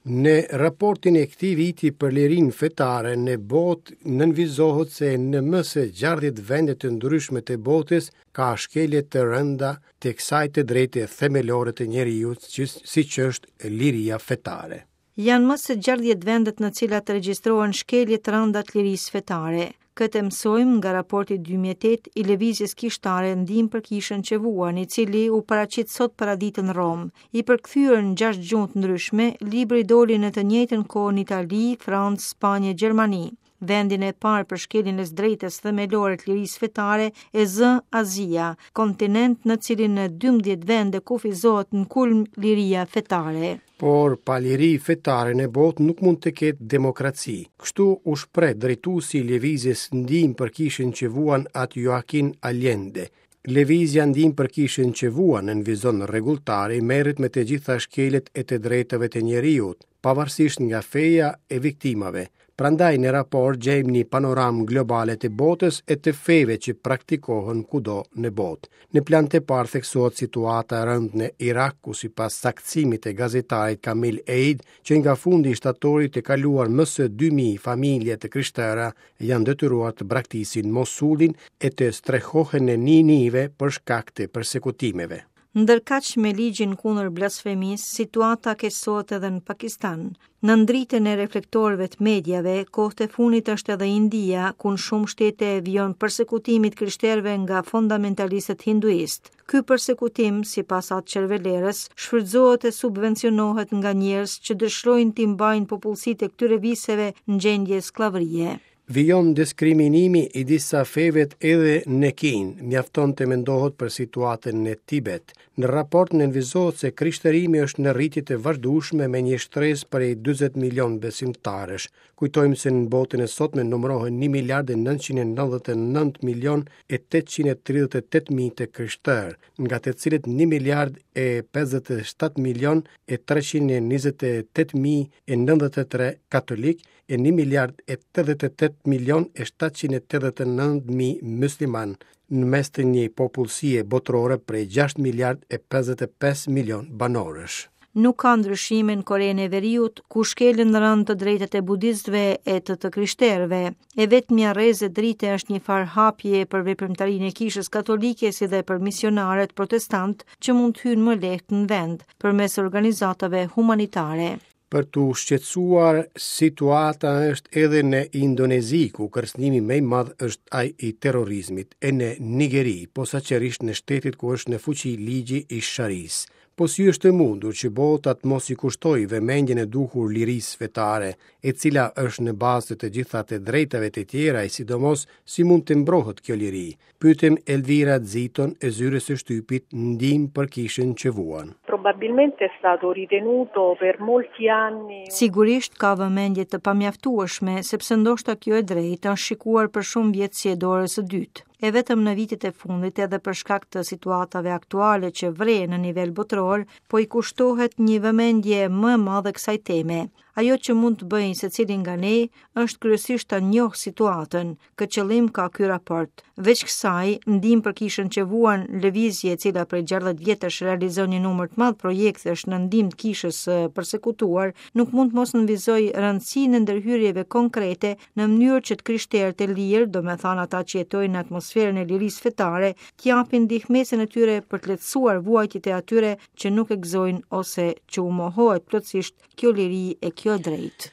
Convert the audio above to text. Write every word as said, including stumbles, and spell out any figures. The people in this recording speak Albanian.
Në raportin e këtij viti për lirinë fetare në botë nënvizohet se në më se gjashtëdhjetë vende të ndryshme të botës ka shkelje të rënda të kësaj të drejte themelore të njeriut, që siç është liria fetare. Janë më se gjashtëdhjetë vendet në cilat regjistrohen shkelje të rënda të lirisë fetare. Këtë mësojmë nga raporti dy mijë e tetë i Lëvizjes Kishtare Ndihmë për Kishën që Vuan, i cili u paraqit sot paradite në Romë. I përkthyer në gjashtë gjuhë të ndryshme, libri doli në të njëjtën kohë në Itali, Francë, Spanjë e Gjermani. Vendin e parë për shkeljen e së drejtës themelore të lirisë fetare e zë Azia, kontinent në cilin në dymbëdhjetë vende kufizohet në kulm liria fetare. Por pa liri fetare në botë nuk mund të ketë demokraci. Kështu u shpreh drejtuesi i Lëvizjes Ndihmë për Kishën që Vuan, At Joaquin Allende. Lëvizja Ndihmë për Kishën që Vuan, nënvizon rregulltari, merret me të gjitha shkeljet e të drejtave të njeriut, pavarësisht nga feja e viktimave. Prandaj në raport gjejmë një panoramë globale të botës e të feve që praktikohen kudo në botë. Në plan të parë theksohet situata e rëndë në Irak, ku sipas saktësimit të gazetarit Kamil Eid, që nga fundi i shtatorit të kaluar më se dy mijë familje të krishtera janë detyruar të braktisin Mosulin e të strehohen në Ninive për shkak të persekutimeve. Ndërkaq, me ligjin kundër blasfemisë, situata keqësohet edhe në Pakistan. Në dritën e reflektorëve të mediave, kohët e fundit është edhe India, ku në shumë shtete vijon persekutimi i krishterëve nga fundamentalistët hinduist. Ky persekutim, sipas At Cervelerës, shfrytëzohet e subvencionohet nga njerëz që dëshirojnë t'i mbajnë popullsitë e këtyre viseve në gjendje skllavërie. Vijon diskriminimi i disa fevet edhe në Kinë, mjafton të mendohet për situatën në Tibet. Në raport nënvizohet se krishterimi është në rritje të vazhdueshme me një shtresë prej dyzet milion besimtarësh. Kujtojmë se në botën e sotme numërohen një miliard e nëntëqind e nëntëdhjetë e nëntë milion e tetëqind e tridhjetë e tetë mijë të krishterë, nga të cilët një miliard e pesëdhjetë e shtatë milion e treqind e njëzet e tetë mijë e nëntëdhjetë e tre katolik e një miliard e tetëdhjetë e tetë milion e shtatëqind e tetëdhjetë e nëntë mijë musliman, në mes të një popullsie botërore prej gjashtë miliard e pesëdhjetë e pesë milion banorësh. Nuk ka ndryshime në Korenë e Veriut, ku shkelen rëndë të drejtat e budistëve e të të krishterëve. E vetmja rreze drite është një farë hapje për veprimtarinë e Kishës Katolike, si dhe për misionarët protestant që mund të hyjnë më lehtë në vend përmes organizatave humanitare. Për të shqetësuar situata është edhe në Indonezi, ku kërcënimi më i madh është ai i terrorizmit, e në Nigeri, posaçërisht në shtetet ku është në fuqi ligji i sharisë. Po si është e mundur që bota të mos i kushtojë vëmendjen e duhur lirisë fetare, e cila është në bazë të të gjitha të drejtave të tjera, e sidomos si mund të mbrohet kjo liri? Pyetëm Elvira Ziton e zyrës së shtypit Ndihmë për Kishën që Vuan. Probabilmente è stato ritenuto per molti anni Sigurisht ka vëmendje të pamjaftueshme, sepse ndoshta kjo e drejtë është shikuar për shumë vjet si e dorës së dytë. E vetëm në vitet e fundit, edhe për shkak të situatave aktuale që vrehen në nivel botëror, po i kushtohet një vëmendje më e madhe kësaj teme. Ajo që mund të bëjnë secili nga ne është kryesisht ta njohë situatën. Këtë qëllim ka ky raport. Veç kësaj, Ndihmë për Kishën që Vuan, lëvizje e cila prej gjashtëdhjetë vjetësh realizon një numër të madh projektesh në ndihmë të kishës së persekutuar, nuk mund të mos nënvizoj rëndësinë e ndërhyrjeve konkrete në mënyrë që të krishterët e lirë, do me thënë ata që jetojnë në atmosferën e lirisë fetare, të japin ndihmesën e tyre për të lehtësuar vuajtjet e atyre që nuk e gëzojnë ose që u mohohet plotësisht kjo liri e kjo drejtë.